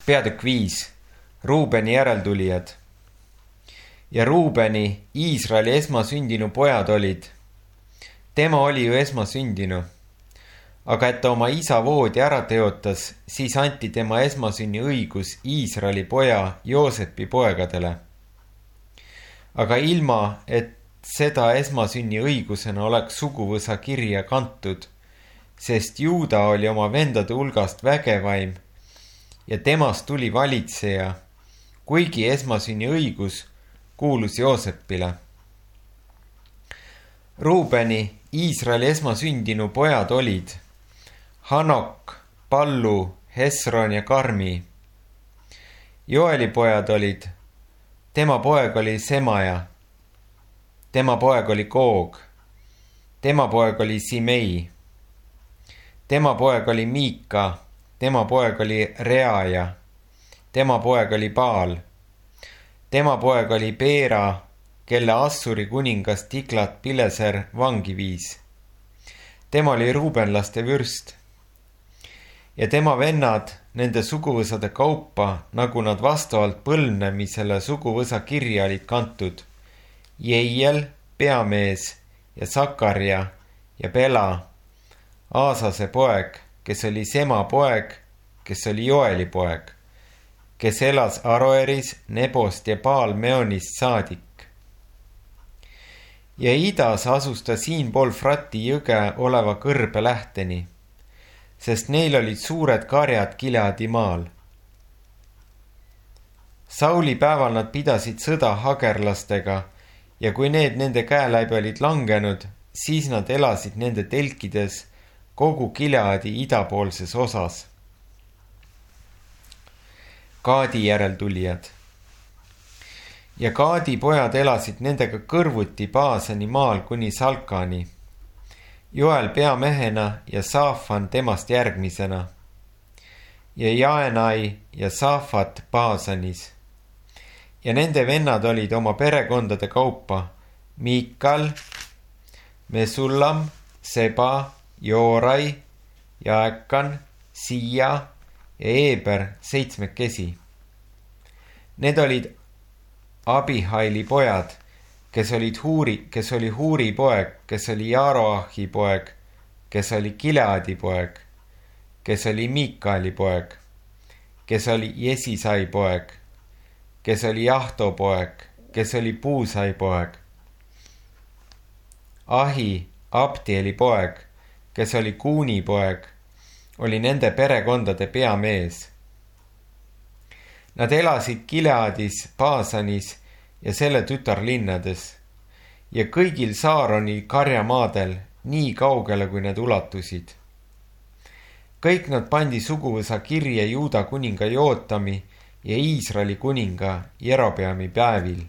Peatükk 5. Ruubeni järeltulijad. Ja Ruubeni, Iisraeli esmasündinu pojad olid. Tema oli ju esmasündinu. Aga et ta oma isa voodi ära teotas, siis anti tema esmasünni õigus Iisraeli poja Joosepi poegadele. Aga ilma, et seda esmasünni õigusena oleks suguvõsa kirja kantud, sest Juuda oli oma vendade hulgast vägevaim ja temast tuli valitseja, kuigi esmasünni õigus kuulus Joosepile. Ruubeni, Iisraeli esmasündinu pojad olid Hanok, Pallu, Hesron ja Karmi. Joeli pojad olid, tema poeg oli Semaja, tema poeg oli Koog, tema poeg oli Simei, tema poeg oli Miika, tema poeg oli Reaja, tema poeg oli Baal, tema poeg oli Beera, kelle Assuri kuningas Tiglat-Pileser vangi viis. Tema oli ruubenlaste vürst. Ja tema vennad nende suguvõsade kaupa, nagu nad vastavalt põlvnemisele suguvõsa kirja olid kantud. Jeiel, peamees ja Sakarja ja Bela, Aasase poeg, kes oli Sema poeg, kes oli Joeli poeg, kes elas Aroeris, Nebost ja Baal-Meonist saadik. Ja idas asus ta siinpool Frati jõge oleva kõrbe lähteni, sest neil olid suured karjad Gileadi maal. Sauli päeval nad pidasid sõda hagerlastega ja kui need nende käe läbi olid langenud, siis nad elasid nende telkides kogu Gileadi idapoolses osas. Gaadi järeltulijad. Ja Gaadi pojad elasid nendega kõrvuti Baasani maal kuni Salkani. Joel peamehena ja Saafan temast järgmisena. Ja Jaenai ja Saafat Baasanis. Ja nende vennad olid oma perekondade kaupa Miikal, Mesullam, Seba, Joorai, Jaekan, Siia ja Eeber 7. Need olid Abihaili pojad, kes oli Huuri poeg, kes oli Jaroahi poeg, kes oli Gileadi poeg, kes oli Miikaeli poeg, kes oli Jesisai poeg, kes oli Jahto poeg, kes oli Puusai poeg. Ahi, Abdieli poeg, kes oli Kuuni poeg, oli nende perekondade peamees. Nad elasid Gileadis, Baasanis ja selle tütarlinnades ja kõigil Saaroni karjamaadel nii kaugele, kui need ulatusid. Kõik nad pandi suguvõsa kirja Juuda kuninga Jootami ja Iisraeli kuninga Jerobeami päevil.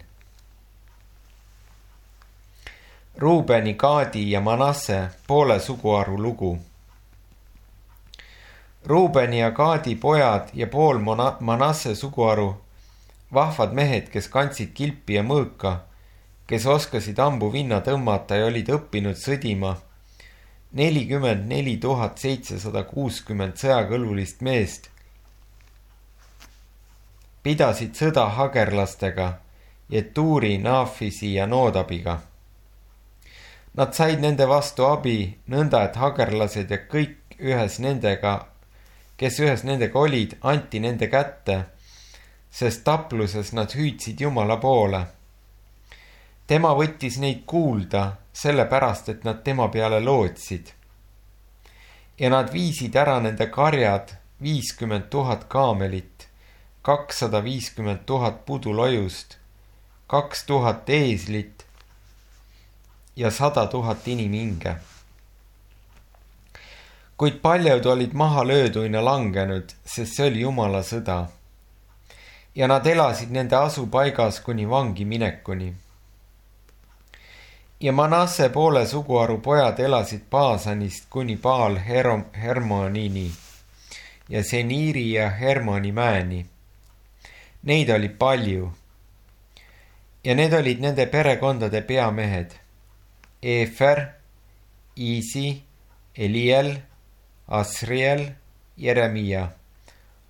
Ruubeni, Gaadi ja Manasse poole suguharu lugu. Ruubeni ja Gaadi pojad ja pool Manasse suguharu, vahvad mehed, kes kandsid kilpi ja mõõka, kes oskasid ambu vinna tõmmata ja olid õppinud sõdima, 44 760 sõjakõlbulist meest, pidasid sõda hagerlastega, Jetuuri, Naafisi ja Noodabiga. Nad said nende vastu abi, nõnda et hagerlased ja kõik kes ühes nendega olid, anti nende kätte, sest tapluses nad hüüdsid Jumala poole. Tema võttis neid kuulda, sellepärast, et nad tema peale lootsid. Ja nad viisid ära nende karjad 50 000 kaamelit, 250 000 pudulojust, 2000 eeslit ja 100 000 inimhinge. Kuid paljud olid maha lööduina langenud, sest see oli Jumala sõda. Ja nad elasid nende asupaigas kuni vangi minekuni. Ja Manasse poole suguharu pojad elasid Baasanist kuni Baal Hermonini ja Seniiri ja Hermoni mäeni. Neid oli palju. Ja need olid nende perekondade peamehed. Eefer, Iisi, Eliel, Asriel, Jeremia,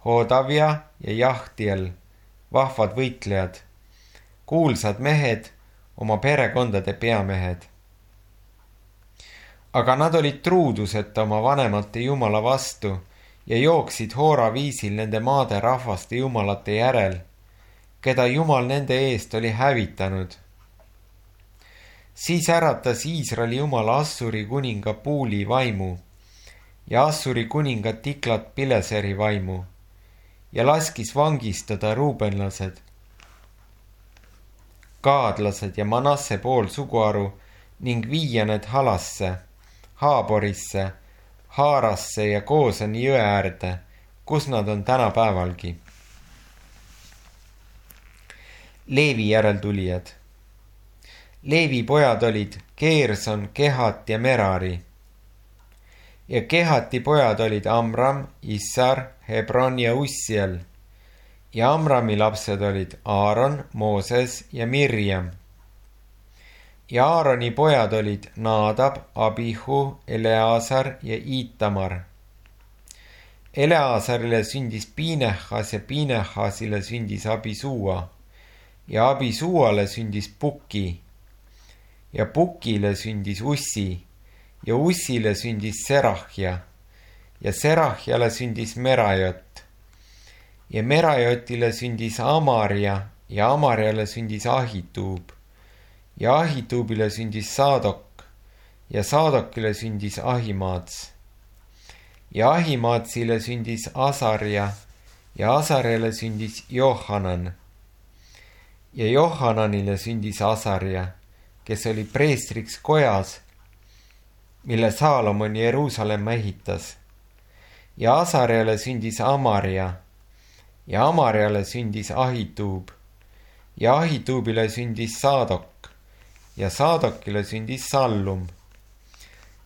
Hodavia ja Jahtiel, vahvad võitlejad, kuulsad mehed, oma perekondade peamehed. Aga nad olid truuduseta oma vanemate jumala vastu ja jooksid Hoora viisil nende maade rahvaste jumalate järel, keda Jumal nende eest oli hävitanud. Siis äratas Iisraeli Jumala Assuri kuninga Puuli vaimu ja Assuri kuninga Tiklat Pileseri vaimu ja laskis vangistada ruubenlased, gaadlased ja Manasse pool suguharu ning viia need Halasse, Haaborisse, Haarasse ja Koosani jõe äärde, kus nad on tänapäevalgi. Leevi järeltulijad. Leevi pojad olid Geerson, Kehat ja Merari. Ja Kehati pojad olid Amram, Issar, Hebron ja Ussiel. Ja Amrami lapsed olid Aaron, Mooses ja Mirjam. Ja Aaroni pojad olid Naadab, Abihu, Eleazar ja Itamar. Eleazarile sündis Pinehas ja Pinehasile sündis Abisuua ja Abisuuale sündis Puki ja Pukile sündis Ussi ja Ussile sündis Serahja ja Serahjale sündis Merajot ja Merajotile sündis Amaria ja Amariale sündis Ahituub ja Ahituubile sündis Saadok ja Saadokile sündis Ahimaats ja Ahimaatsile sündis Asarja ja Asarjale sündis Johanan ja Johananile sündis Asarja, kes oli preestriks kojas, mille Saalomon Jeruusalemma ehitas. Ja Asarjale sündis Amaria ja Amariale sündis Ahituub ja Ahituubile sündis Saadok ja Saadokile sündis Sallum.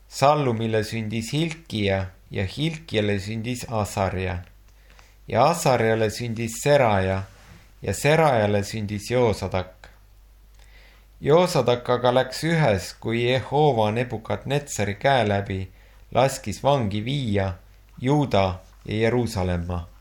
Sallumile sündis Hilkia ja Hilkiale sündis Asarja ja Asarjale sündis Seraja ja Serajale sündis Joosadak. Joosadak aga läks ühes, kui Jehova Nebukadnetsari käe läbi laskis vangi viia Juuda ja Jeruusalemma.